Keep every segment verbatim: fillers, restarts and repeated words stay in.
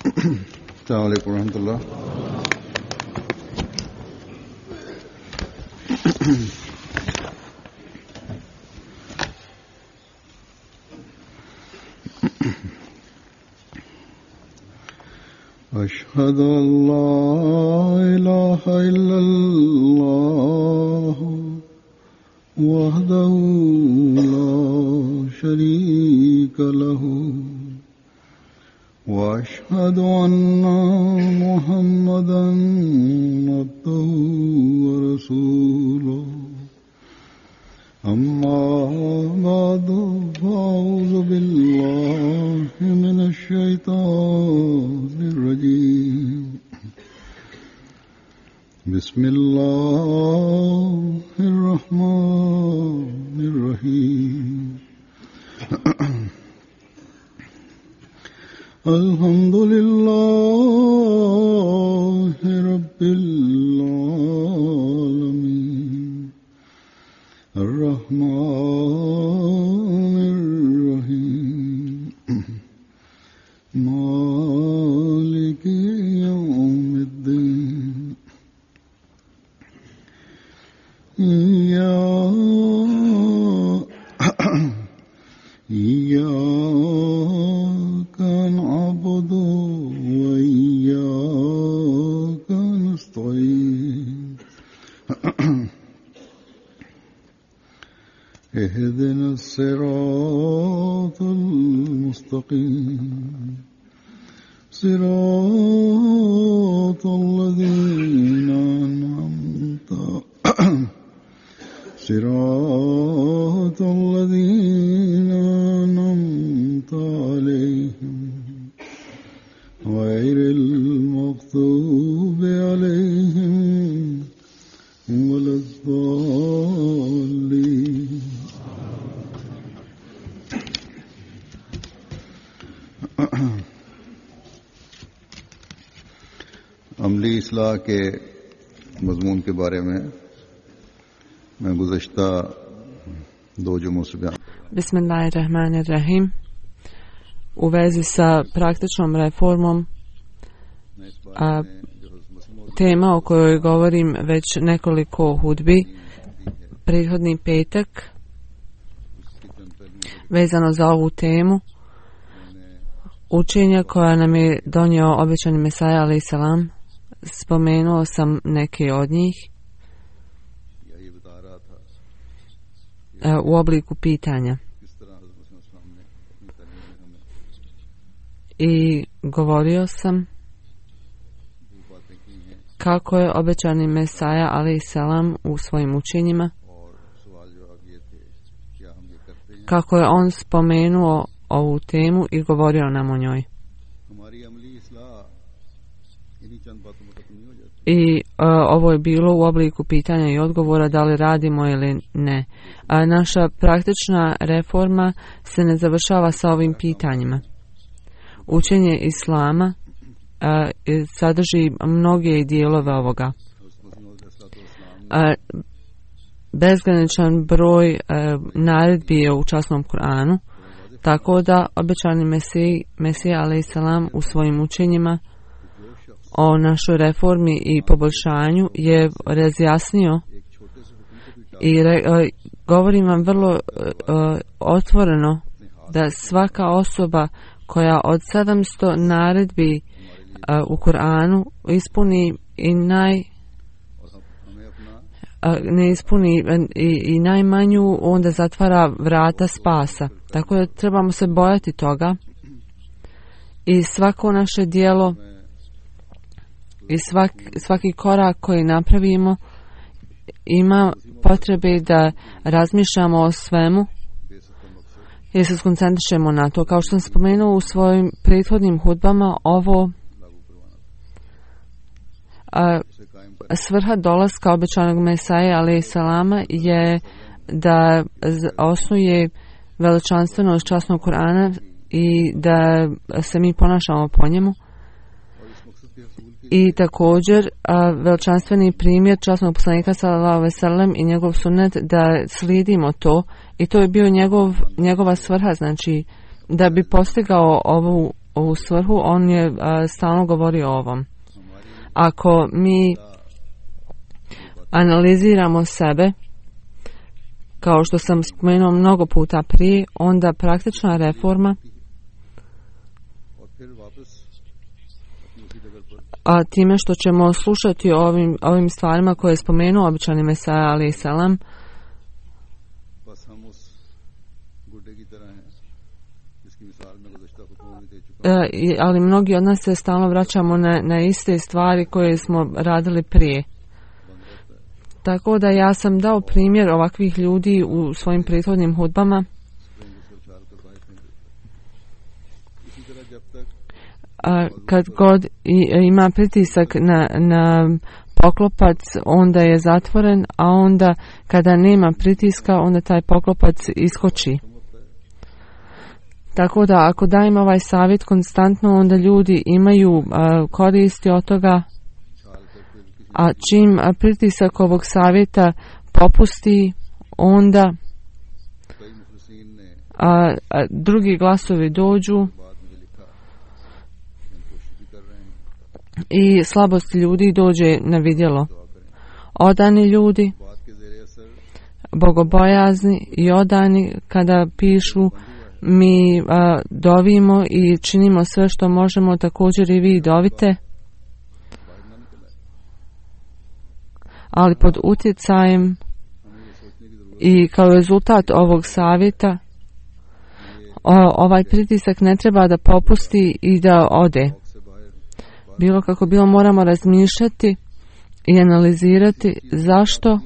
अस्सलाम वालेकुम रहमतुल्लाह। अशहदु अल्ला इलाहा इल्लल्लाह वहदहु ला शरीका लहु वअशहदु अन्ना मुहम्मदन अब्दुहु व रसूलुहु अम्मा बअदु फअऊज़ु बिल्लाहि मिनश शैतानिर रजीम बिस्मिल्लाहिर रहमानिर रहीम अल्हम्दुलिल्लाहि रब्बिल आलमीन अर्रहमानिर रहीम मालिकि यौमिद्दीन इय्याका नअबुदु व इय्याका नस्तईन اهدنا الصراط المستقيم صراط الذين أنعمت صراط الذين أنعمت عليهم غير المغضوب عليهم ولا الضالين अमली इस्लाह के मजमून के बारे में मैं गुज़श्ता दो जुमों से बयान। Bismillahirrahmanirrahim. U vezi sa praktičnom reformom, a, tema o kojoj govorim već nekoliko hudbi, prethodni petak, vezano za ovu temu, učenja koja nam je donio obećani Mesaja alejhi selam, spomenuo sam neke od njih u obliku pitanja. I govorio sam kako je obećani Mesaja alejhi selam u svojim učenjima, kako je on spomenuo ovu temu i govorio nam o njoj. I uh, ovo je bilo u obliku pitanja i odgovora da li radimo ili ne. A naša praktična reforma se ne završava sa ovim pitanjima. Učenje Islama uh, sadrži mnoge dijelove ovoga. Uh, bezgraničan broj uh, naredbi je u časnom Kur'anu, tako da obećani Mesij, Mesija alejhi selam u svojim učenjima o našoj reformi i poboljšanju je razjasnio i re, uh, govorim vam vrlo uh, otvoreno da svaka osoba koja od sedamsto naredbi uh, u Kur'anu ispuni i naj ne ispuni i, i najmanju, onda zatvara vrata spasa. Tako da trebamo se bojati toga i svako naše djelo i svak, svaki korak koji napravimo ima potrebe da razmišljamo o svemu i se skoncentrišemo na to. Kao što sam spomenuo u svojim prethodnim hudbama, ovo a, svrha dolaska obećanog Mesaja alejhi selama je da osnuje veličanstvenost časnog Kur'ana i da se mi ponašamo po njemu. I također a, veličanstveni primjer časnog poslanika sallallahu alejhi ve sellem i njegov sunnet da slijedimo to, i to je bio njegov, njegova svrha, znači da bi postigao ovu, ovu svrhu, on je a, stalno govorio o ovom. Ako mi analiziramo sebe, kao što sam spomenuo mnogo puta prije, onda praktična reforma, a time što ćemo slušati o ovim, ovim stvarima koje je spomenuo običani Mesaja alejhi selam, e, ali mnogi od nas se stalno vraćamo na, na iste stvari koje smo radili prije. Tako da ja sam dao primjer ovakvih ljudi u svojim prethodnim hudbama. A kad god ima pritisak na, na poklopac, onda je zatvoren, a onda kada nema pritiska, onda taj poklopac iskoči. Tako da ako dajem ovaj savjet konstantno, onda ljudi imaju a, koristi od toga, a čim a, pritisak ovog savjeta popusti, onda a, a, drugi glasovi dođu i slabost ljudi dođe na vidjelo. Odani ljudi, bogobojazni i odani, kada pišu mi a, dovimo i činimo sve što možemo, također i vi dovite, ali pod utjecajem i kao rezultat ovog savjeta o, ovaj pritisak ne treba da popusti i da ode. Bilo kako bilo, moramo razmišljati i analizirati zašto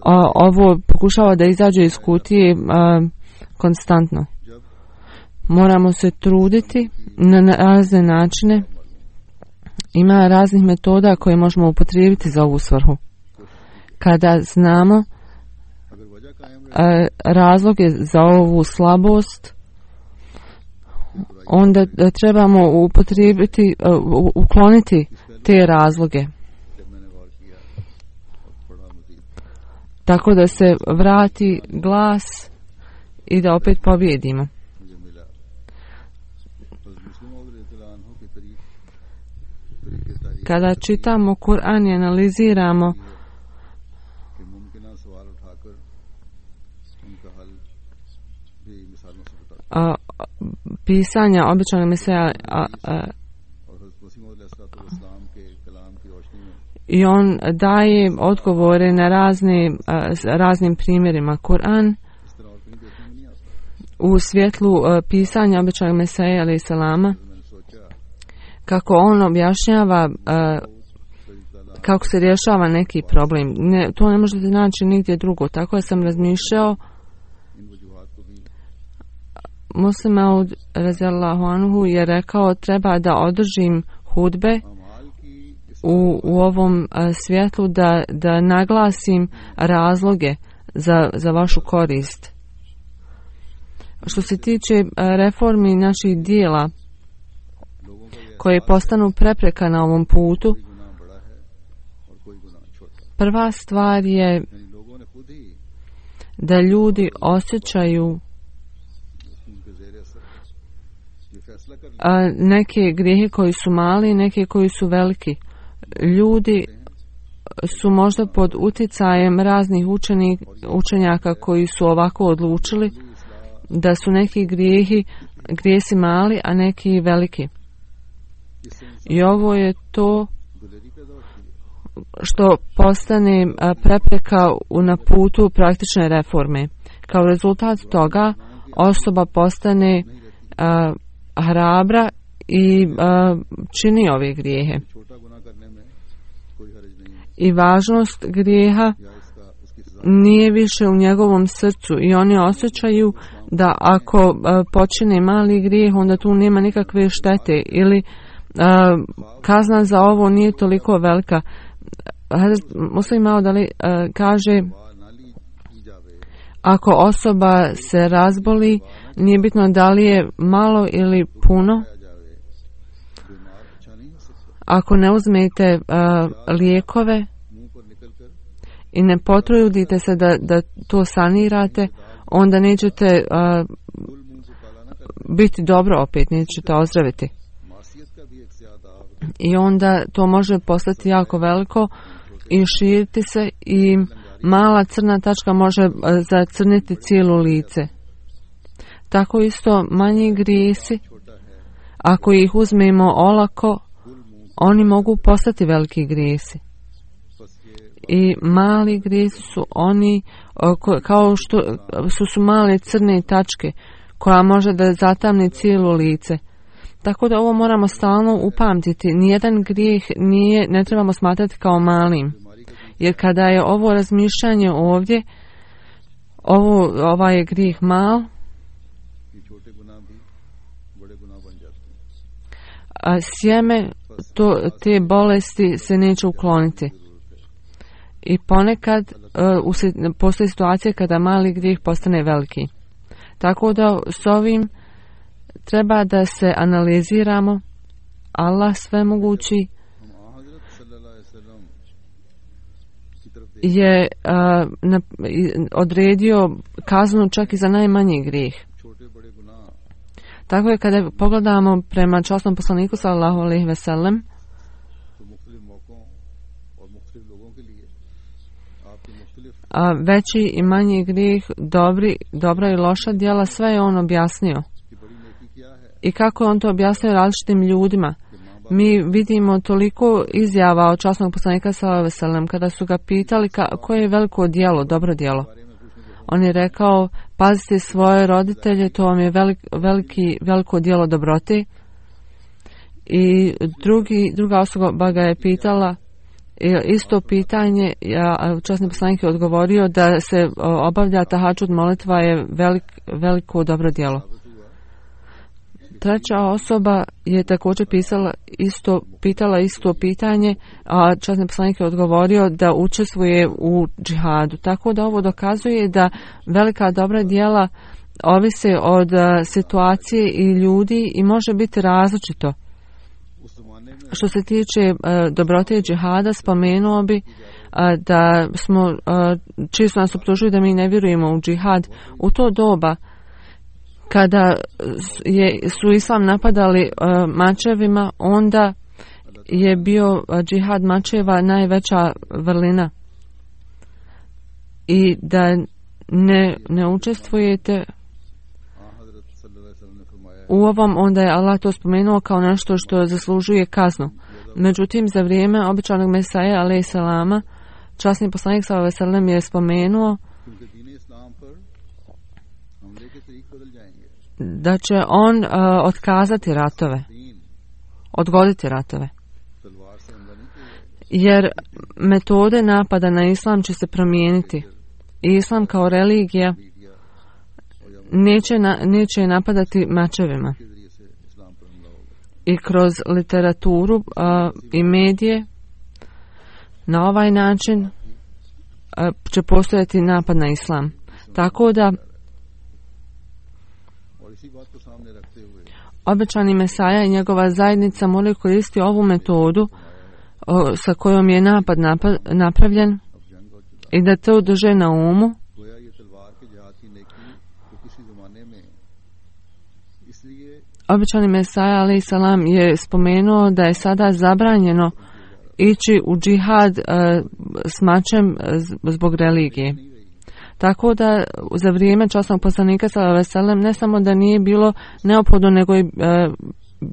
a, ovo pokušava da izađe iz kutije a, konstantno. Moramo se truditi na, na razne načine. Ima raznih metoda koje možemo upotrijebiti za ovu svrhu. Kada znamo a, razloge za ovu slabost, onda trebamo upotrijebiti, uh, ukloniti te razloge. Tako da se vrati glas i da opet pobjedimo. Kada čitamo Kur'an i analiziramo a, pisanja običnog Mesaja a, a, i on daje odgovore na razne a, raznim primjerima. Kur'an u svjetlu a, pisanja običnog Mesaja alejhi selama, kako on objašnjava a, kako se rješava neki problem. Ne, to ne možete naći nigdje drugo. Tako da sam razmišljao. Muslim Maud radijallahu anhu je rekao, treba da održim hudbe u, u ovom a, svjetlu, da, da naglasim razloge za, za vašu korist. Što se tiče a, reformi naših dijela koje postanu prepreka na ovom putu, prva stvar je da ljudi osjećaju a, neke grijehe koji su mali, neke koji su veliki. Ljudi su možda pod utjecajem raznih učenik, učenjaka koji su ovako odlučili da su neki grijehi, grijesi mali, a neki veliki. I ovo je to što postane prepreka na putu praktične reforme. Kao rezultat toga osoba postane a, hrabra i a, čini ove grijehe. I važnost grijeha nije više u njegovom srcu i oni osjećaju da ako a, počine mali grijeh, onda tu nema nikakve štete ili a, kazna za ovo nije toliko velika. Muslim Maud Ali a, kaže, ako osoba se razboli, nije bitno da li je malo ili puno. Ako ne uzmete a, lijekove i ne potrudite se da, da to sanirate, onda nećete uh, biti dobro opet, nećete ozdraviti. I onda to može postati jako veliko i širiti se i mala crna tačka može zacrniti cijelo lice. Tako isto manji grijesi, ako ih uzmemo olako, oni mogu postati veliki grijesi. I mali grijesi su oni kao što su, su male crne tačke koja može da zatamni cijelo lice. Tako da ovo moramo stalno upamtiti. Nijedan grijeh nije, ne trebamo smatrati kao malim. Jer kada je ovo razmišljanje ovdje, ovo, ovaj je grijeh mal, a sjeme to, te bolesti se neće ukloniti. I ponekad uh, postoji situacija kada mali grijeh postane veliki. Tako da s ovim treba da se analiziramo. Allah svemogući je uh, na, odredio kaznu čak i za najmanji grijeh. Tako je kada pogledamo prema časnom poslaniku sallallahu alejhi ve sellem, a veći i manji grijeh, dobri, dobra i loša djela, sve je on objasnio. I kako je on to objasnio različitim ljudima. Mi vidimo toliko izjava od časnog poslanika sallallahu alejhi ve sellem kada su ga pitali ka, koje je veliko djelo, dobro djelo. On je rekao, pazite svoje roditelje, to vam je velik, veliki, veliko djelo dobrote. I drugi, druga osoba ga je pitala isto pitanje, a časni poslanik je odgovorio da se obavlja tahadžud molitva je velik, veliko dobro djelo. Treća osoba je također pisala isto, pitala isto pitanje, a časni poslanik je odgovorio da učestvuje u džihadu. Tako da ovo dokazuje da velika dobra djela ovise od situacije i ljudi i može biti različito. Što se tiče uh, dobrote i džihada, spomenuo bi uh, da smo uh, čisto nas optužuju da mi ne vjerujemo u džihad. U to doba kada je, su islam napadali uh, mačevima, onda je bio uh, džihad mačeva najveća vrlina. I da ne, ne učestvujete u ovom, onda je Allah to spomenuo kao nešto što zaslužuje kaznu. Međutim, za vrijeme običanog Mesaja alejhi selama, časni poslanik sallallahu alejhi ve sellem je spomenuo da će on uh, otkazati ratove, odgoditi ratove. Jer metode napada na islam će se promijeniti. Islam kao religija neće, na, neće napadati mačevima. I kroz literaturu uh, i medije na ovaj način uh, će postojati napad na islam. Tako da obećani Mesaja i njegova zajednica moraju koristiti ovu metodu uh, sa kojom je napad napad napravljen i da to drže na umu. Obećani Mesaja alejhi salam je spomenuo da je sada zabranjeno ići u džihad uh, s mačem zbog religije. Tako da za vrijeme časnog poslanika sallallahu alejhi ve sellem ne samo da nije bilo neophodno, nego je uh,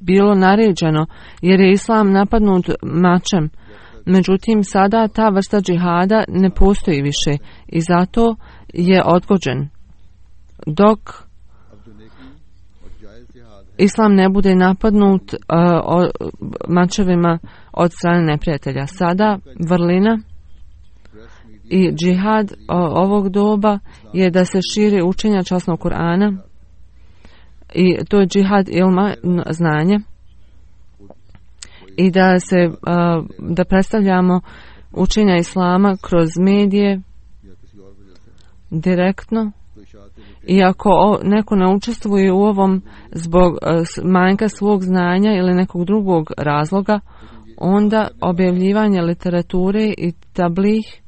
bilo naređeno, jer je islam napadnut mačem. Međutim, sada ta vrsta džihada ne postoji više i zato je odgođen. Dok islam ne bude napadnut uh, o, mačevima od strane neprijatelja. Sada vrlina i džihad o, ovog doba je da se širi učenja časnog Kur'ana i to je džihad ilma, znanje, i da se uh, da predstavljamo učenja islama kroz medije direktno. I ako neko ne učestvuje u ovom zbog manjka svog znanja ili nekog drugog razloga, onda objavljivanje literature i tablih,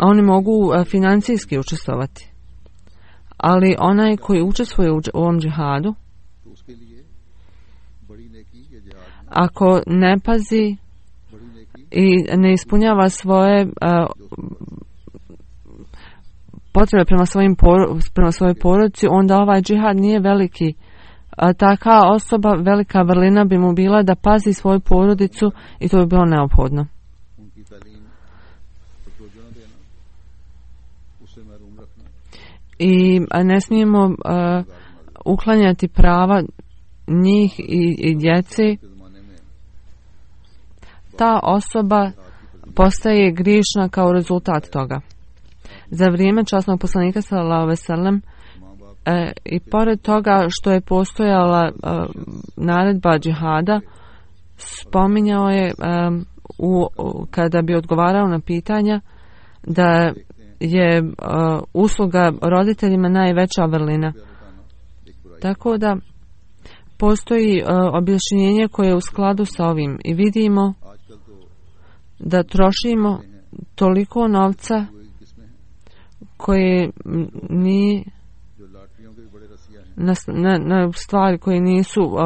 oni mogu financijski učestvovati. ali onaj koji učestvuje u ovom džihadu, ako ne pazi i ne ispunjava svoje uh, potrebe prema, svojim por- prema svojoj porodici, onda ovaj džihad nije veliki. A taka osoba, velika vrlina bi mu bila da pazi svoju porodicu i to bi bilo neophodno. I ne smijemo uh, uklanjati prava njih i, i djeci. Ta osoba postaje griješna kao rezultat toga. Za vrijeme časnog poslanika sallallahu alejhi ve sellem e, i pored toga što je postojala e, naredba džihada, spominjao je e, u, kada bi odgovarao na pitanja da je uh, usluga roditeljima najveća vrlina. Tako da postoji uh, objašnjenje koje je u skladu sa ovim i vidimo da trošimo toliko novca koje ni na, na, na stvari koje nisu uh,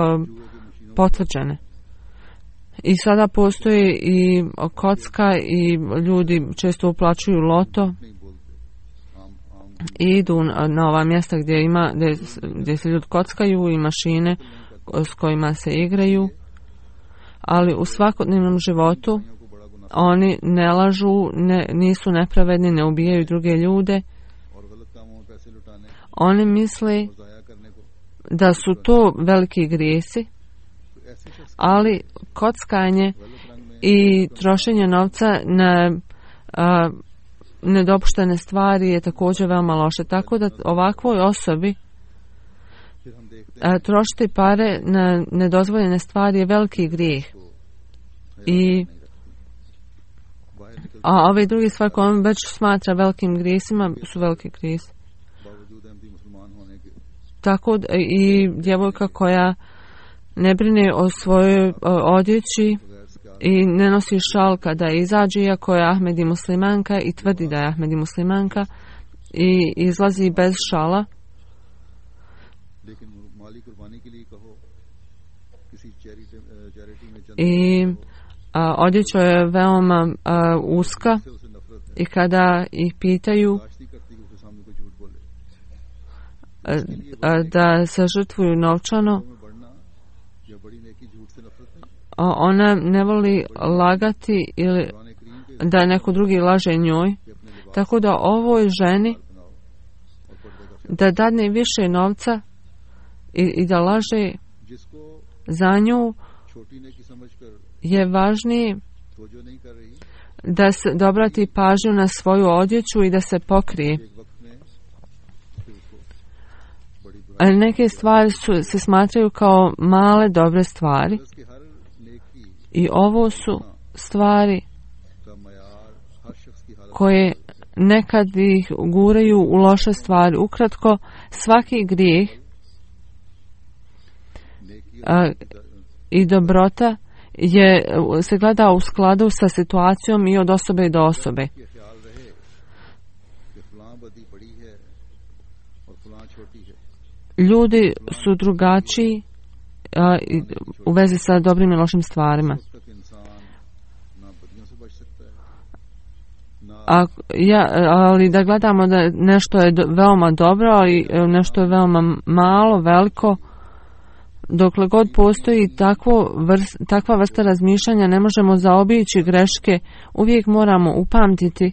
potvrđene. I sada postoji i kocka i ljudi često uplaćuju loto i idu na ova mjesta gdje ima gdje, gdje se ljudi kockaju i mašine s kojima se igraju, ali u svakodnevnom životu oni ne lažu, ne, nisu nepravedni, ne ubijaju druge ljude. Oni misle da su to veliki grijesi, ali kockanje i trošenje novca na a, nedopuštene stvari je također veoma loše. Tako da ovakvoj osobi a, trošiti pare na nedozvoljene stvari je veliki grijeh. I a ove druge stvari koje on već smatra velikim grijesima su veliki grijesi. Tako da, i djevojka koja ne brine o svojoj odjeći i ne nosi šal kada izađe, iako je Ahmedi muslimanka i tvrdi da je Ahmedi muslimanka i izlazi bez šala. I a, odjeća je veoma a, uska i kada ih pitaju a, a, da se žrtvuju novčano, ona ne voli lagati ili da neko drugi laže njoj, tako da ovoj ženi da dadne više novca i, i da laže za nju je važnije da se da obrati pažnju na svoju odjeću i da se pokrije. Neke stvari su, se smatraju kao male dobre stvari. I ovo su stvari koje nekad ih guraju u loše stvari. Ukratko, svaki grijeh a, i dobrota je, se gleda u skladu sa situacijom i od osobe do osobe. Ljudi su drugačiji a, u vezi sa dobrim i lošim stvarima. A, ja, ali da gledamo da nešto je do, veoma dobro i nešto je veoma malo, veliko, dokle god postoji takvo vrst, takva vrsta razmišljanja, ne možemo zaobići greške. Uvijek moramo upamtiti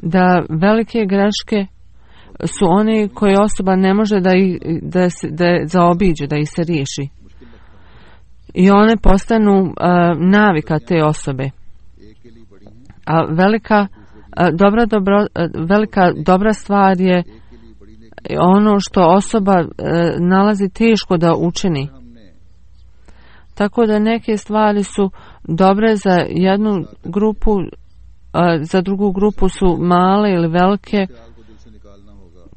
da velike greške su one koje osoba ne može da ih da se, da zaobiđe, da ih se riješi. I one postanu uh, navika te osobe. A velika uh, dobra dobro, uh, velika dobra stvar je ono što osoba uh, nalazi teško da učini. Tako da neke stvari su dobre za jednu grupu, uh, za drugu grupu su male ili velike.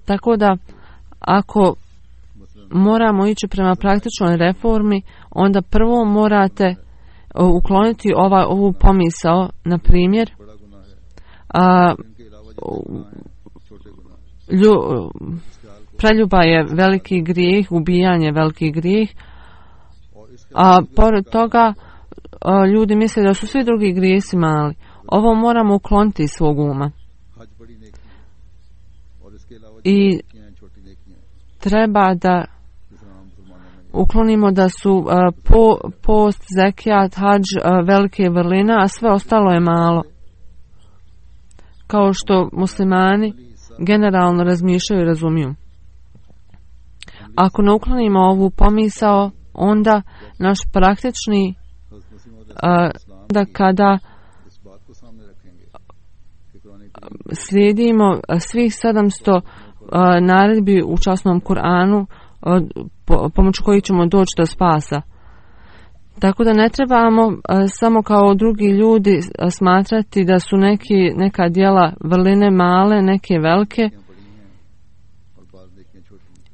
Tako da ako moramo ići prema praktičnoj reformi, onda prvo morate ukloniti ova, ovu pomisao, na primjer, a, lju, preljuba je veliki grijeh, ubijanje je veliki grijeh, a pored toga ljudi misle da su svi drugi grijesi mali. Ovo moramo ukloniti iz svog uma. I treba da uklonimo da su uh, po, post, zekijat, hadž uh, velike vrline, a sve ostalo je malo. Kao što muslimani generalno razmišljaju i razumiju. Ako ne uklonimo ovu pomisao, onda naš praktični uh, da kada slijedimo svih sedamsto uh, naredbi u časnom Kur'anu, uh, po, pomoću kojih ćemo doći do spasa. Tako da ne trebamo uh, samo kao drugi ljudi uh, smatrati da su neki, neka djela vrline male, neke velike.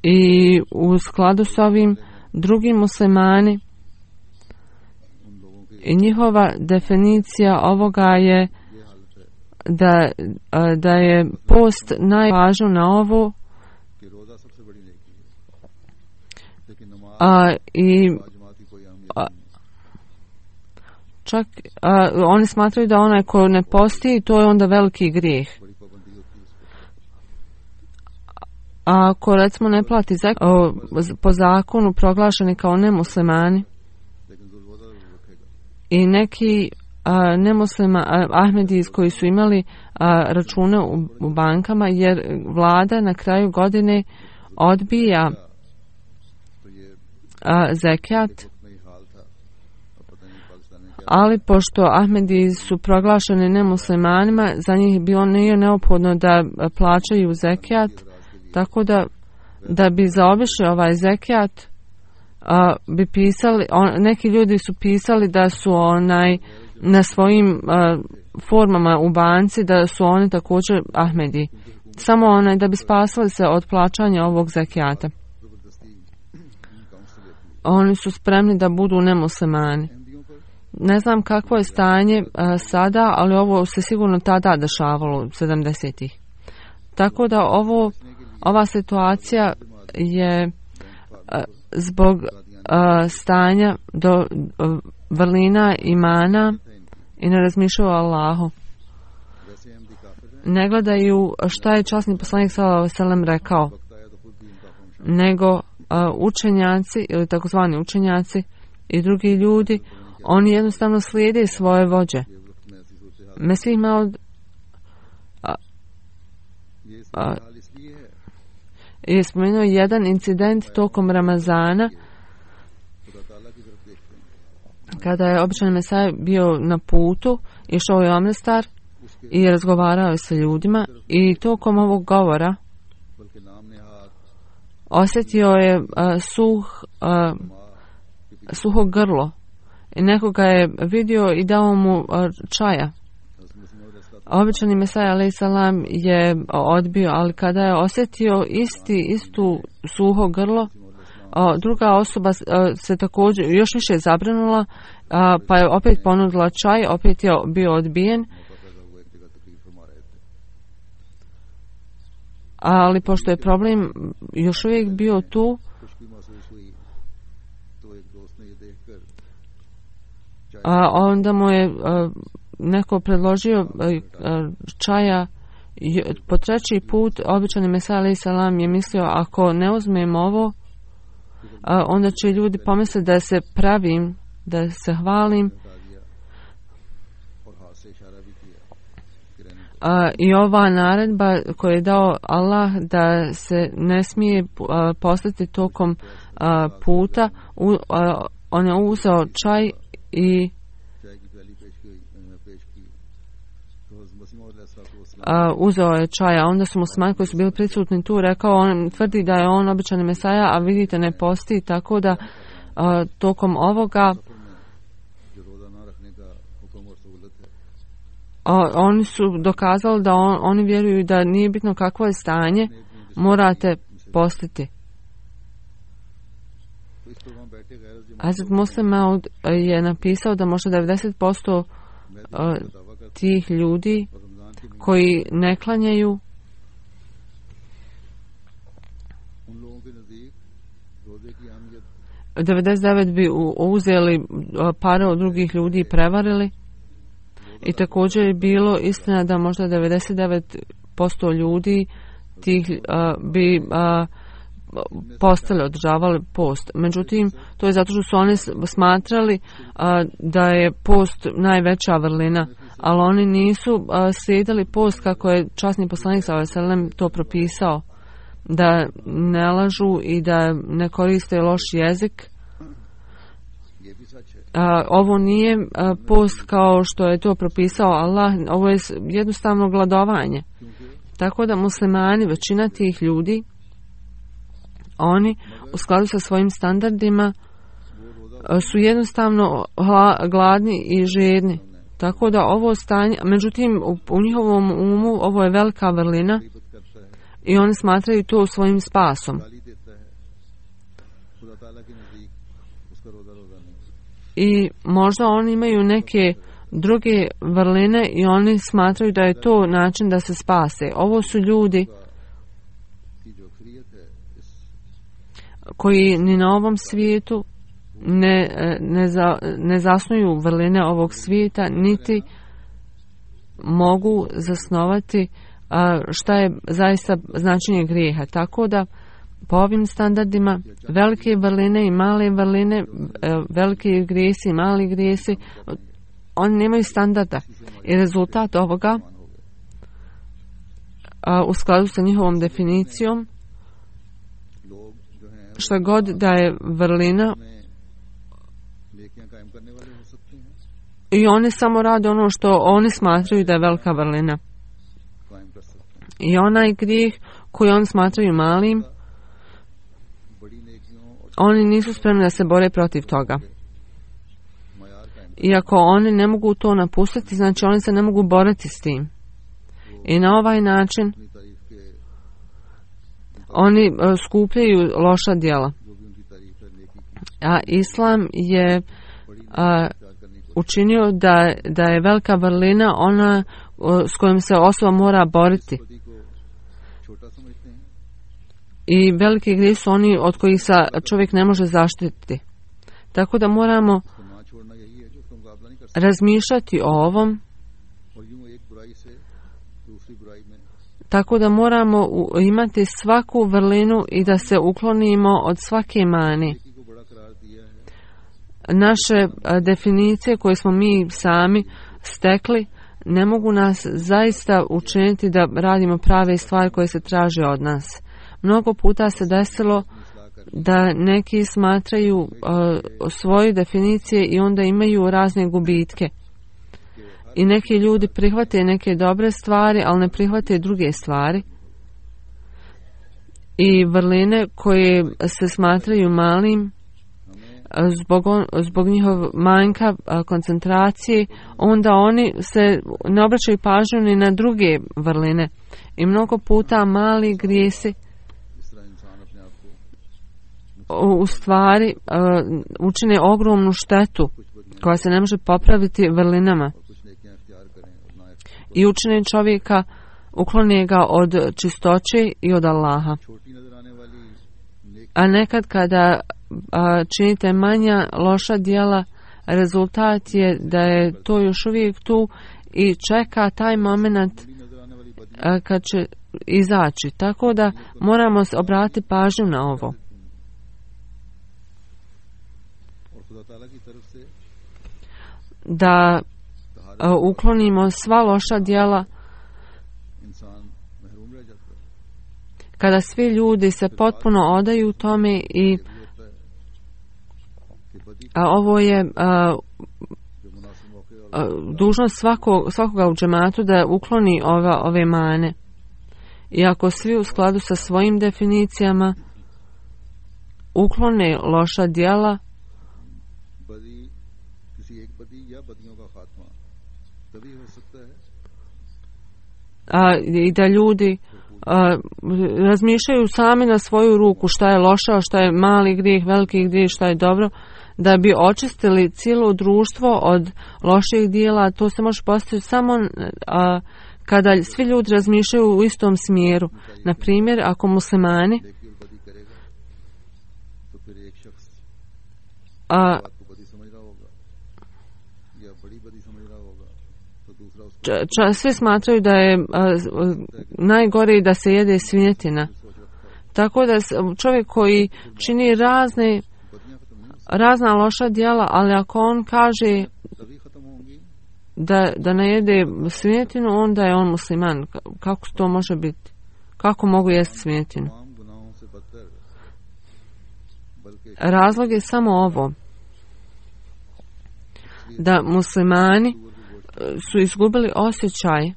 I u skladu s ovim drugi muslimani i njihova definicija ovoga je da, da je post najvažniji na ovo, a, i a, čak a, oni smatraju da onaj ko ne posti, to je onda veliki grijeh. A ako recimo ne plati zek, o, po zakonu proglašeni kao nemuslimani i neki a, nemuslima a, Ahmedijs koji su imali a, račune u, u bankama, jer vlada na kraju godine odbija a, zekijat, ali pošto Ahmedijs su proglašeni nemuslimanima, za njih bilo nije neophodno da plaćaju zekijat. Tako da, da bi zaobišli ovaj zekijat, a, bi pisali, on, neki ljudi su pisali da su onaj na svojim a, formama u banci, da su oni također Ahmedi. Samo onaj da bi spasali se od plaćanja ovog zekijata. Oni su spremni da budu nemuslimani. Ne znam kakvo je stanje a, sada, ali ovo se sigurno tada dešavalo, sedamdesetih. Tako da ovo Ova situacija je uh, zbog uh, stanja do uh, vrlina imana i ne razmišljaju o Allahu. Ne gledaju šta je časni poslanik sallallahu alejhi ve sellem rekao, nego uh, učenjaci ili takozvani učenjaci i drugi ljudi, oni jednostavno slijede svoje vođe. Mesih Maud uh, uh, je spomenuo jedan incident tokom Ramazana kada je običan Mesaj bio na putu, išao je u Amrestar i razgovarao je sa ljudima i tokom ovog govora osjetio je uh, suh, uh, suho grlo i nekoga je vidio i dao mu uh, čaja. Običani Mesaj alejhi selam je odbio, ali kada je osjetio isti, istu suho grlo, druga osoba se također još više zabrinula, pa je opet ponudila čaj, opet je bio odbijen. Ali pošto je problem još uvijek bio tu, a onda mu je neko predložio čaja po treći put. Običani Mesaj alejhi selam je mislio, ako ne uzmem ovo, onda će ljudi pomisliti da se pravim, da se hvalim. I ova naredba koju je dao Allah da se ne smije postati tokom puta, on je uzeo čaj i Uh, uzeo je čaja. Onda su muslimani koji su bili prisutni tu rekao, on tvrdi da je on običani Mesaja, a vidite ne posti, tako da uh, tokom ovoga uh, oni su dokazali da on, oni vjeruju da nije bitno kakvo je stanje, morate postiti. Hazret Musleh Maud je napisao da možda devedeset posto uh, tih ljudi koji ne klanjaju devedeset devet bi uzeli pare od drugih ljudi i prevarili. I također je bilo istina da možda devedeset devet posto ljudi tih uh, bi uh, postali, održavali post. Međutim, to je zato što su oni smatrali uh, da je post najveća vrlina, ali oni nisu uh, slijedili post kako je časni poslanik sallallahu alejhi ve sellem to propisao, da ne lažu i da ne koriste loš jezik. Uh, ovo nije uh, post kao što je to propisao Allah, ovo je jednostavno gladovanje. Tako da muslimani, većina tih ljudi, oni u skladu sa svojim standardima uh, su jednostavno hla, gladni i žedni. Tako da ovo stanje, međutim u, u njihovom umu ovo je velika vrlina i oni smatraju to svojim spasom. I možda oni imaju neke druge vrline i oni smatraju da je to način da se spase. Ovo su ljudi koji ni na ovom svijetu ne, ne, za, ne zasnuju vrline ovog svijeta, niti mogu zasnovati šta je zaista značenje grijeha. Tako da po ovim standardima velike vrline i male vrline, velike grijesi i mali grijesi, oni nemaju standarda. I rezultat ovoga u skladu sa njihovom definicijom, šta god da je vrlina, i oni samo rade ono što oni smatraju da je velika vrlina. I onaj grijeh koji oni smatraju malim, oni nisu spremni da se bore protiv toga. Iako oni ne mogu to napustiti, znači oni se ne mogu boriti s tim. I na ovaj način oni skupljaju loša djela. A Islam je a, učinio da, da je velika vrlina ona o, s kojom se osoba mora boriti. I veliki grijeh su oni od kojih se čovjek ne može zaštititi. Tako da moramo razmišljati o ovom. Tako da moramo imati svaku vrlinu i da se uklonimo od svake mane. Naše definicije koje smo mi sami stekli ne mogu nas zaista učiniti da radimo prave stvari koje se traže od nas. Mnogo puta se desilo da neki smatraju uh, svoje definicije i onda imaju razne gubitke. I neki ljudi prihvate neke dobre stvari, ali ne prihvate druge stvari. I vrline koje se smatraju malim, zbog, on, zbog njihov manjka koncentracije, onda oni se ne obraćaju pažnju ni na druge vrline. I mnogo puta mali grijesi u stvari učine ogromnu štetu koja se ne može popraviti vrlinama i učine čovjeka, uklone ga od čistoće i od Allaha. A nekad kada činite manja loša djela, rezultat je da je to još uvijek tu i čeka taj moment kad će izaći. Tako da moramo obratiti pažnju na ovo. Da uklonimo sva loša djela. Kada svi ljudi se potpuno odaju tome i a ovo je a, a, dužnost svako, svakoga u džematu da ukloni ova, ove mane. I ako svi u skladu sa svojim definicijama uklone loša djela, a, i da ljudi a, razmišljaju sami na svoju ruku šta je loše, šta je mali grijeh, veliki grijeh, šta je dobro, da bi očistili cijelo društvo od loših dijela. To se može postaviti samo a, kada svi ljudi razmišljaju u istom smjeru. Na primjer, ako muslimani a, ča, svi smatraju da je a, najgore da se jede svinjetina. Tako da čovjek koji čini razne razna loša djela, ali ako on kaže da, da ne jede svinjetinu, onda je on musliman. Kako to može biti? Kako mogu jesti svinjetinu? Razlog je samo ovo. Da muslimani su izgubili osjećaj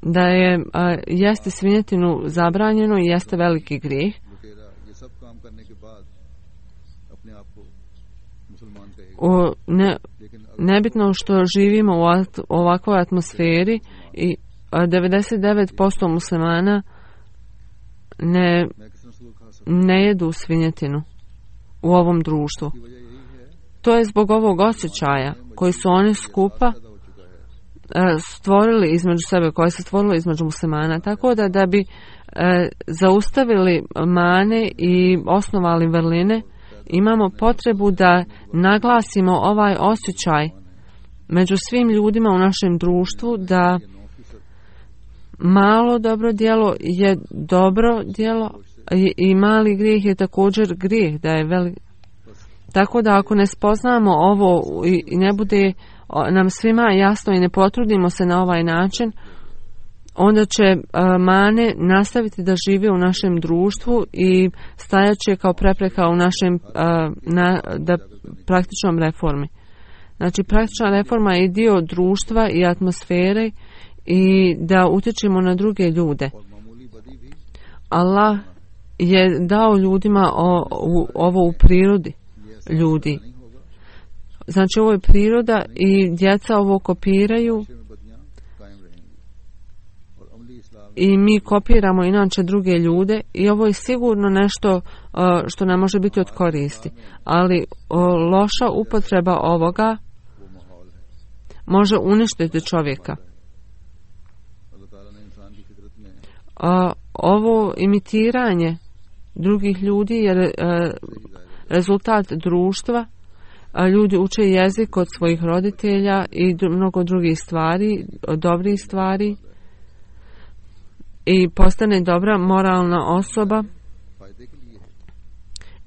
da je a, jesti svinjetinu zabranjeno i jeste veliki grijeh. O, ne, nebitno što živimo u at, ovakvoj atmosferi i a, devedeset devet posto muslimana ne, ne jedu svinjetinu u ovom društvu. To je zbog ovog osjećaja koji su oni skupa stvorili između sebe, koje se stvorilo između muslimana, tako da da bi e, zaustavili mane i osnovali vrline, imamo potrebu da naglasimo ovaj osjećaj među svim ljudima u našem društvu, da malo dobro djelo je dobro djelo i, i mali grijeh je također grijeh, da je velik. Tako da ako ne spoznamo ovo i, i ne bude nam svima jasno i ne potrudimo se na ovaj način, onda će uh, mane nastaviti da žive u našem društvu i stajat će kao prepreka u našem uh, na, da, praktičnom reformi. Znači, praktična reforma je dio društva i atmosfere i da utječemo na druge ljude. Allah je dao ljudima o, u, ovo u prirodi ljudi. Znači, ovo je priroda i djeca ovo kopiraju i mi kopiramo inače druge ljude i ovo je sigurno nešto uh, što nam može biti od koristi. Ali uh, loša upotreba ovoga može uništiti čovjeka. Uh, ovo imitiranje drugih ljudi je uh, rezultat društva. Ljudi uče jezik od svojih roditelja i mnogo drugih stvari, dobrih stvari i postane dobra moralna osoba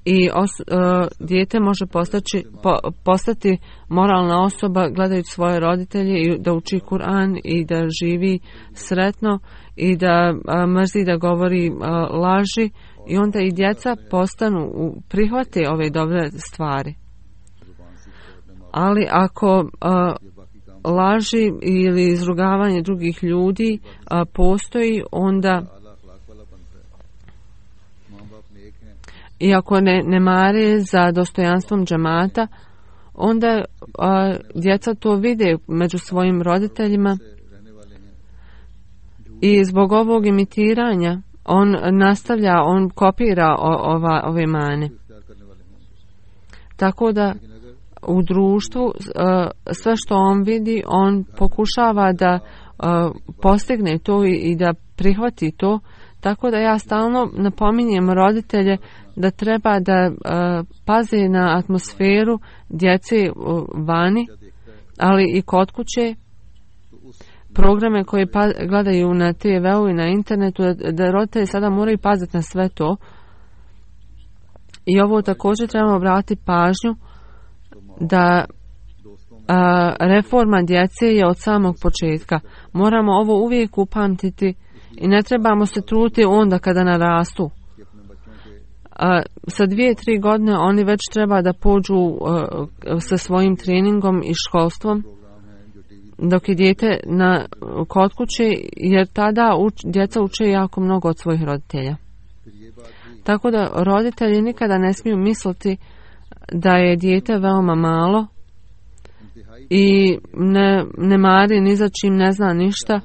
i os, uh, dijete može postaći, po, postati moralna osoba gledajući svoje roditelje i da uči Kur'an i da živi sretno i da uh, mrzi da govori uh, laži i onda i djeca postanu, prihvate ove dobre stvari. Ali ako uh, laži ili izrugavanje drugih ljudi uh, postoji, onda i ako ne, ne mare za dostojanstvom džemata, onda uh, djeca to vide među svojim roditeljima i zbog ovog imitiranja on nastavlja, on kopira o, ova, ove mane. Tako da u društvu sve što on vidi, on pokušava da postigne to i da prihvati to. Tako da ja stalno napominjem roditelje da treba da paze na atmosferu djece vani, ali i kod kuće, programe koje pa, gledaju na te veu i na internetu, da, da roditelji sada moraju paziti na sve to. I ovo također trebamo obratiti pažnju da a, reforma djece je od samog početka. Moramo ovo uvijek upamtiti i ne trebamo se truditi onda kada narastu. A, sa dvije, tri godine oni već treba da pođu a, sa svojim treningom i školstvom dok je dijete na, kod kuće, jer tada uč, djeca uče jako mnogo od svojih roditelja. Tako da roditelji nikada ne smiju misliti da je dijete veoma malo i ne, ne mari ni za čim, ne zna ništa.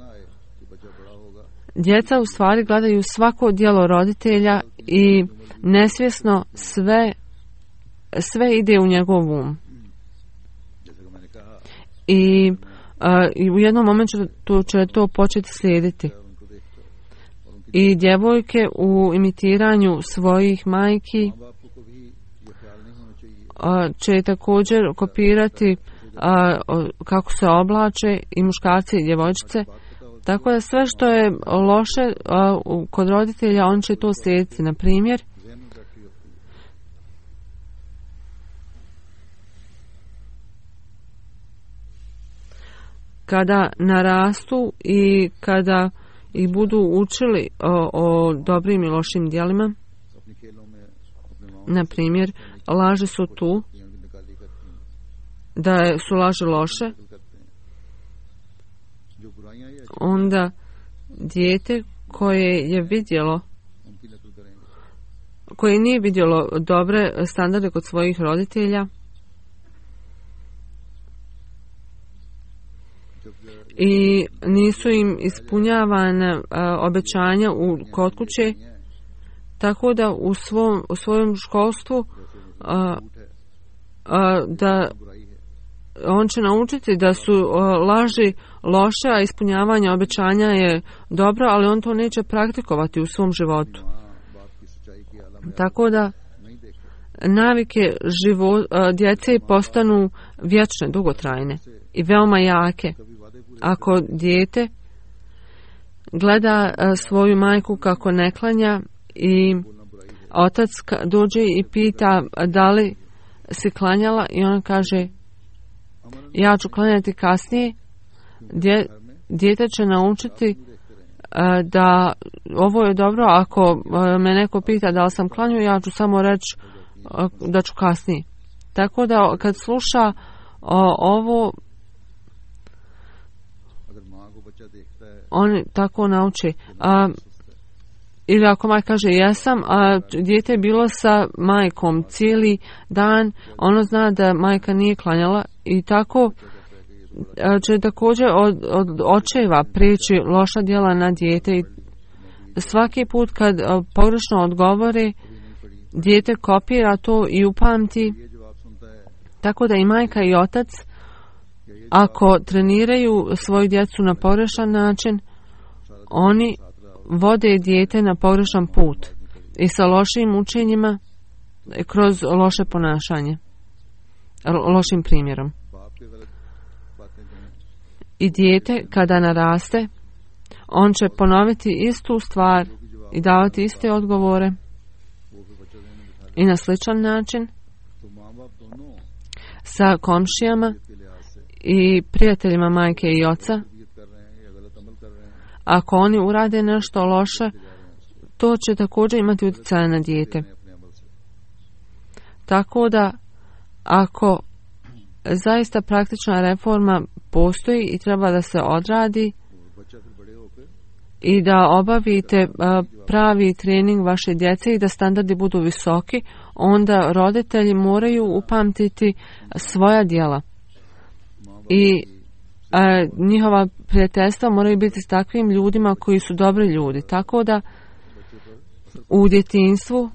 Djeca u stvari gledaju svako djelo roditelja i nesvjesno sve, sve ide u njegov um. I, a, i u jednom momentu to će to početi slijediti. I djevojke u imitiranju svojih majki će također kopirati kako se oblače i muškarci i djevojčice. Tako da sve što je loše kod roditelja, on će to slijediti. Na primjer, kada narastu i kada ih budu učili o, o dobrim i lošim djelima, na primjer, laži su tu, da su laži loše, onda dijete koje je vidjelo, koje nije vidjelo dobre standarde kod svojih roditelja i nisu im ispunjavana obećanja u kod kuće, tako da u svom u svojom školstvu a, a, da on će naučiti da su a, laži loše, a ispunjavanje obećanja je dobro, ali on to neće praktikovati u svom životu. Tako da navike živo, a, djece postanu vječne, dugotrajne i veoma jake. Ako dijete gleda a, svoju majku kako ne klanja i otac dođe i pita da li si klanjala i ona kaže ja ću klanjati kasnije, Dje, dijete će naučiti a, da ovo je dobro. Ako a, me neko pita da li sam klanjao, ja ću samo reći a, da ću kasnije. Tako da kad sluša a, ovo, on tako nauči. A, ili ako majka kaže jesam, a dijete je bilo sa majkom cijeli dan, ono zna da majka nije klanjala i tako će također od, od očeva prijeći loša djela na dijete i svaki put kad pogrešno odgovori, dijete kopira to i upamti. Tako da i majka i otac, ako treniraju svoju djecu na pogrešan način, oni vode dijete na pogrešan put i sa lošim učenjima kroz loše ponašanje, lošim primjerom. I dijete kada naraste, on će ponoviti istu stvar i davati iste odgovore i na sličan način sa komšijama i prijateljima majke i oca. Ako oni urade nešto loše, to će također imati utjecaja na dijete. Tako da, ako zaista praktična reforma postoji i treba da se odradi i da obavite pravi trening vaše djece i da standardi budu visoki, onda roditelji moraju upamtiti svoja djela. I a, njihova prijateljstva moraju biti s takvim ljudima koji su dobri ljudi. Tako da u djetinjstvu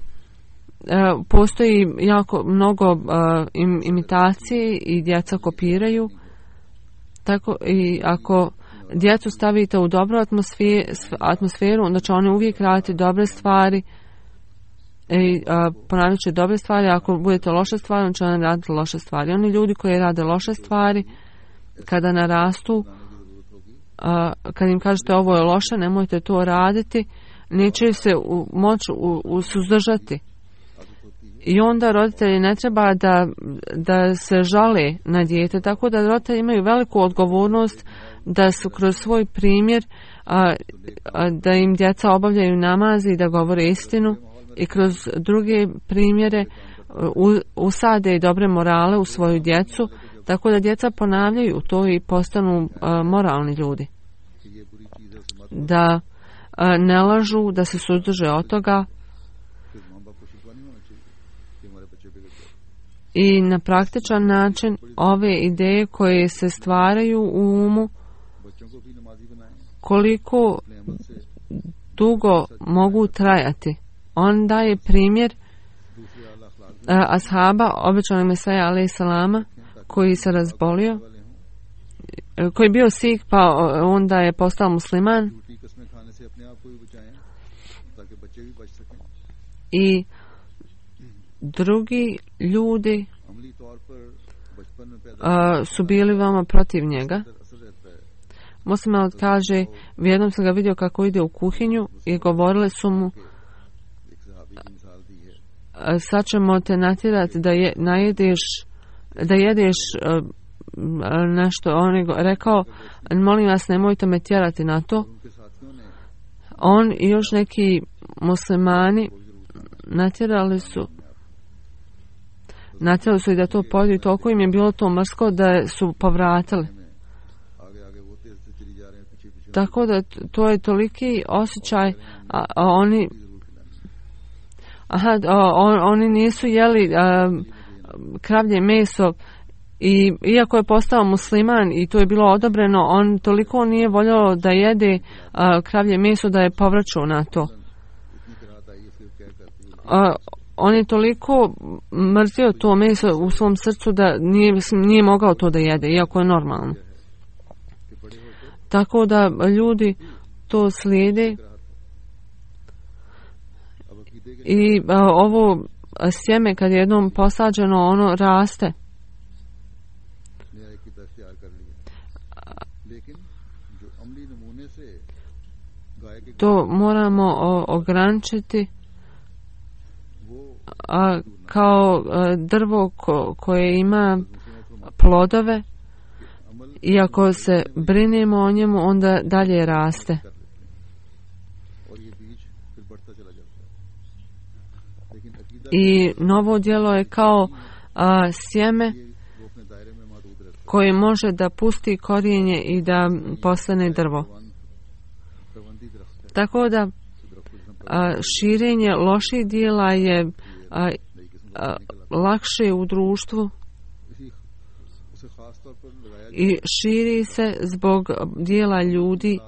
a, postoji jako mnogo a, im, imitacije i djeca kopiraju. Tako i ako djecu stavite u dobru atmosferu, atmosferu onda će oni uvijek raditi dobre stvari i ponavljat će dobre stvari. Ako budete loše stvari, onda će oni raditi loše stvari. Oni ljudi koji rade loše stvari, kada narastu, a, kad im kažete ovo je loše, nemojte to raditi, neće se u, moći u, u suzdržati. I onda roditelji ne treba da, da se žale na dijete, tako da roditelji imaju veliku odgovornost da su kroz svoj primjer, a, a, da im djeca obavljaju namazi i da govore istinu i kroz druge primjere u, usade i dobre morale u svoju djecu, tako da djeca ponavljaju to i postanu a, moralni ljudi. Da a, ne lažu, da se suzdrže od toga i na praktičan način ove ideje koje se stvaraju u umu, koliko dugo mogu trajati. On daje primjer a, ashaba, obećanog Mesaja alejhi salama, koji se razbolio, koji je bio Sikh, pa onda je postao musliman. I drugi ljudi uh, su bili veoma protiv njega. Muslim Maud kaže, jednom sam ga vidio kako ide u kuhinju i govorile su mu, sad ćemo te natjerati da je, najedeš, da jedeš uh, nešto. On je rekao, molim vas, nemojte me tjerati na to. On i još neki muslimani natjerali su natjerali su i da to pojedu i toliko im je bilo to mrsko da su povratili. Tako da to je toliki osjećaj, a, a oni aha, a, on, oni nisu jeli a, kravlje meso i iako je postao musliman i to je bilo odobreno, on toliko nije voljao da jede a, kravlje meso da je povraćao na to. A, on je toliko mrzio to meso u svom srcu da nije, nije mogao to da jede, iako je normalno. Tako da ljudi to slijede i a, ovo sjeme kad je jednom posađeno, ono raste. To moramo o, ograničiti a, kao a, drvo ko, koje ima plodove i ako se brinemo o njemu, onda dalje raste. I novo djelo je kao a, sjeme koje može da pusti korijenje i da postane drvo. Tako da a, širenje loših dijela je a, a, lakše u društvu i širi se zbog dijela ljudi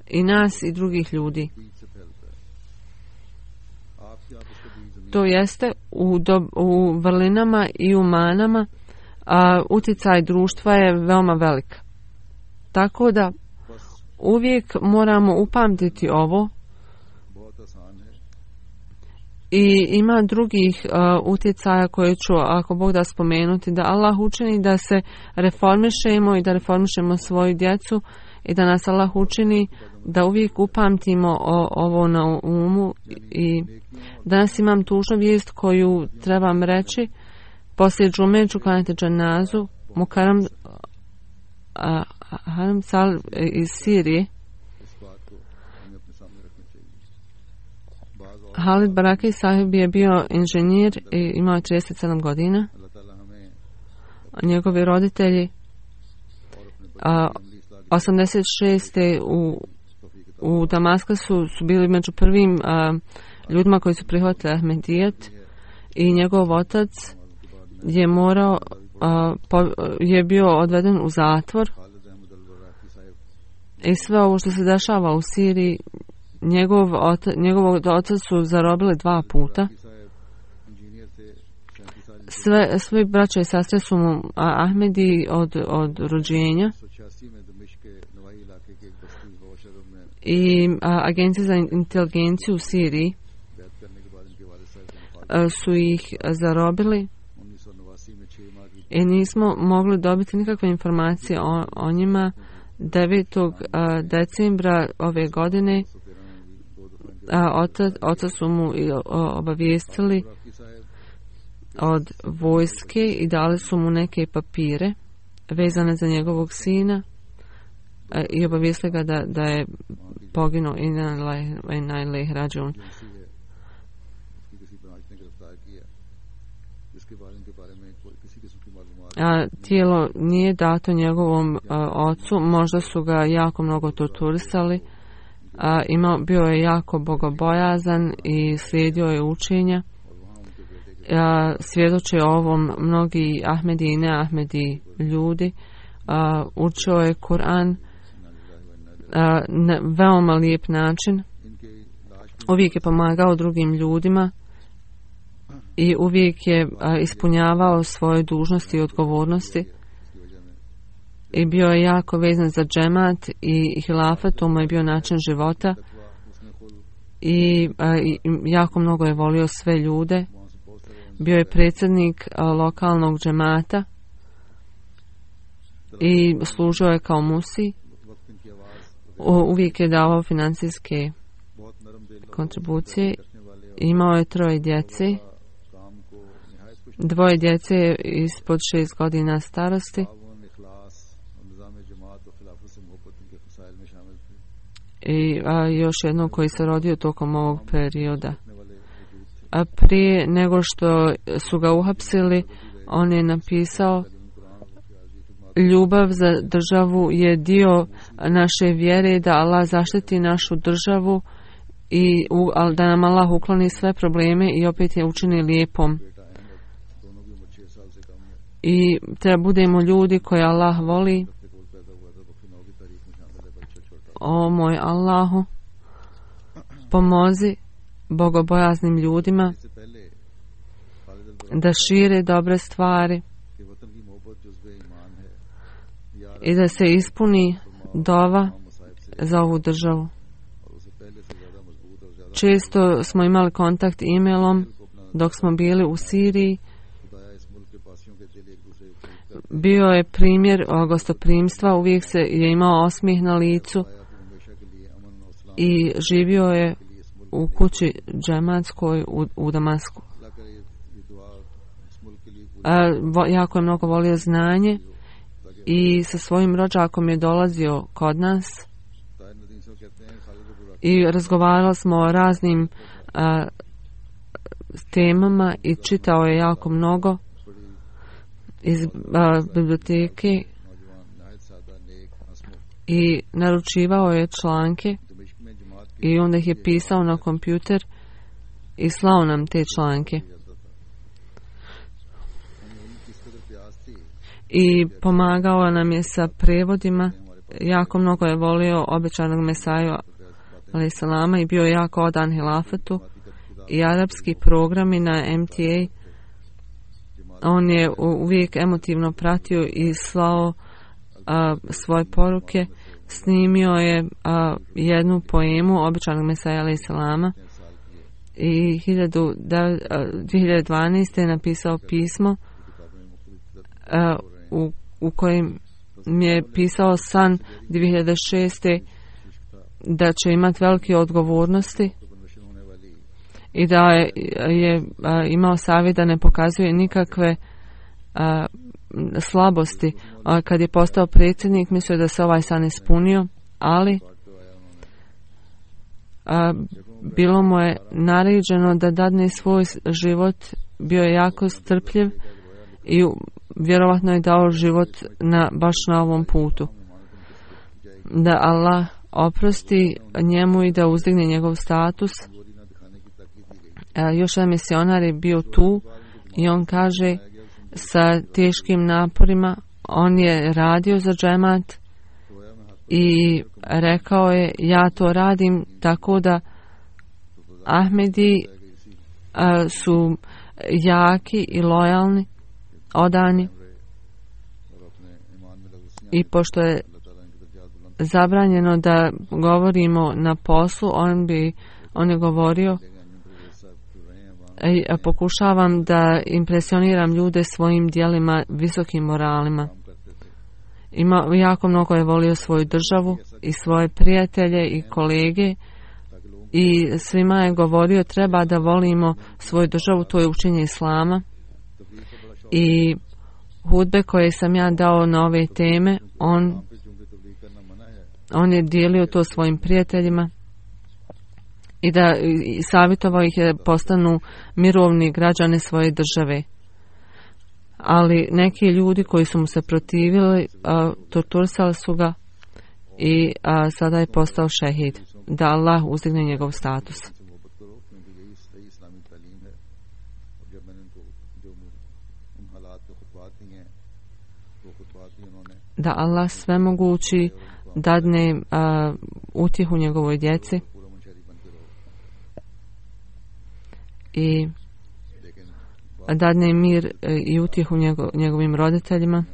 i nas i drugih ljudi. To jeste u, do, u vrlinama i u manama a, utjecaj društva je veoma velik. Tako da uvijek moramo upamtiti ovo i ima drugih uh, utjecaja koje ću, ako Bog da, spomenuti, da Allah učini da se reformišemo i da reformišemo svoju djecu i da nas Allah učini da uvijek upamtimo o, ovo na umu. I danas imam tužnu vijest koju trebam reći. Poslije džume ću klanjati dženazu Mukaram uh, Haram Sal iz Sirije. Halid Baraki sahib je bio inženjer i imao trideset sedam godina. Njegovi roditelji a, osamdeset šeste u, u Damaskasu su bili među prvim a, ljudima koji su prihvatili Ahmedijet i njegov otac je morao a, po, je bio odveden u zatvor i sve ovo što se dešava u Siriji, njegov otac, njegovog otac su zarobili dva puta. Sve, svi braća i sestre su mu Ahmedi od, od rođenja. I a, agencije za inteligenciju u Siriji a, su ih zarobili i nismo mogli dobiti nikakve informacije o, o njima. devetog decembra ove godine a, otac, otac su mu obavijestili od vojske i dali su mu neke papire vezane za njegovog sina a, i obavijestili ga da, da je poginuo i na ilaihi rađiun. A, tijelo nije dato njegovom a, ocu, možda su ga jako mnogo torturisali, a, imao, bio je jako bogobojazan i slijedio je učenja. A, svjedoče o ovom mnogi Ahmedi i ne Ahmedi ljudi. A, učio je Kur'an a, na veoma lijep način, uvijek je pomagao drugim ljudima i uvijek je a, ispunjavao svoje dužnosti i odgovornosti i bio je jako vezan za džemat i hilafet, to mu je bio način života i, a, i jako mnogo je volio sve ljude bio je predsjednik lokalnog džemata i služio je kao musi. Uvijek je davao financijske kontribucije. Imao je troje djece. Dvoje djece ispod šest godina starosti. I a, još jedno koji se rodio tokom ovog perioda. A prije nego što su ga uhapsili, on je napisao: ljubav za državu je dio naše vjere, da Allah zaštiti našu državu i da nam Allah ukloni sve probleme i opet je učini lijepom. I treba budemo ljudi koje Allah voli. O moj Allahu, pomozi bogobojaznim ljudima da šire dobre stvari i da se ispuni dova za ovu državu. Često smo imali kontakt e-mailom dok smo bili u Siriji. Bio je primjer gostoprimstva, uvijek se je imao osmijeh na licu i živio je u kući džematskoj u, u Damasku. A, vo, jako je mnogo volio znanje i sa svojim rođakom je dolazio kod nas i razgovarali smo o raznim a, temama i čitao je jako mnogo iz a, biblioteke i naručivao je članke i onda ih je pisao na kompjuter i slao nam te članke. I pomagao nam je sa prevodima. Jako mnogo je volio obećanog Mesaju alejhi selama i bio je jako odan hilafetu. I arapski programi na M T A, on je uvijek emotivno pratio i slao a, svoje poruke. Snimio je a, jednu poemu obećanog Mesaja alejhi selama i dvije hiljade dvanaeste. je napisao pismo a, u, u kojem mi je pisao san dvije hiljade šeste. da će imati velike odgovornosti i da je, je a, imao savjet da ne pokazuje nikakve a, slabosti. A, kad je postao predsjednik, mislio da se ovaj san ispunio, ali a, bilo mu je naređeno da dadne svoj život. Bio je jako strpljiv i vjerovatno je dao život na, baš na ovom putu. Da Allah oprosti njemu i da uzdigne njegov status. A, još jedan misionar je bio tu i on kaže sa teškim naporima on je radio za džemat i rekao je: ja to radim tako da Ahmedi a, su jaki i lojalni, odani, i pošto je zabranjeno da govorimo na poslu, on bi on je govorio: e, pokušavam da impresioniram ljude svojim djelima, visokim moralima. Ima, jako mnogo je volio svoju državu i svoje prijatelje i kolege i svima je govorio: treba da volimo svoju državu, to je učenje islama. I hudbe koje sam ja dao na ove teme, on on je dijelio to svojim prijateljima i da i savjetovao ih da postanu mirovni građani svoje države. Ali neki ljudi koji su mu se protivili, a, torturisali su ga i a, sada je postao šehid. Da Allah uzdigne njegov status. Da Allah svemogući dadne a, utjehu njegovoj djeci i dadne mir i utjehu njego, njegovim roditeljima.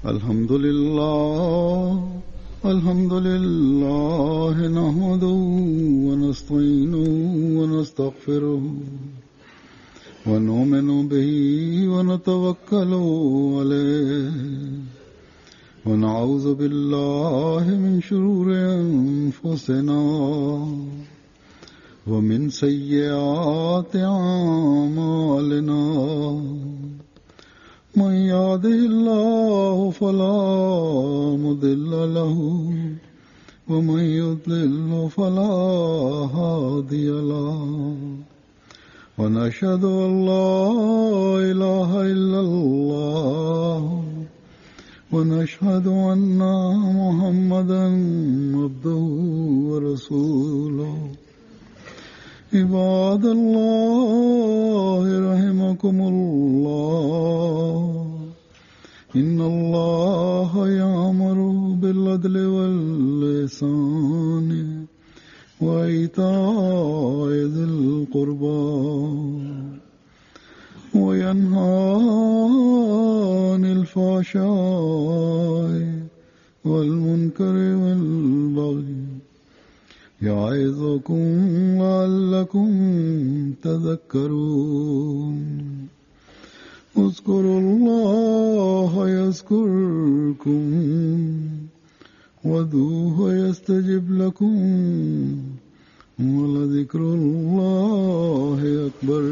الحمد لله الحمد لله نحمده ونستعينه ونستغفره ونؤمن به ونتوكل عليه ونعوذ بالله من شرور أنفسنا ومن سيئات أعمالنا من يهده الله فلا مضل له ومن يضلل فلا هادي له ونشهد أن لا إله إلا الله ونشهد أن محمدا عبده ورسوله عباد الله رحمكم الله إن الله يأمر بالعدل والإحسان وإيتاء ذي القربى وينهى عن الفحشاء والمنكر والبغي يعظكم لعلكم تذكرون اذكروا الله يذكركم وادعوه يستجب لكم ولذكر الله أكبر.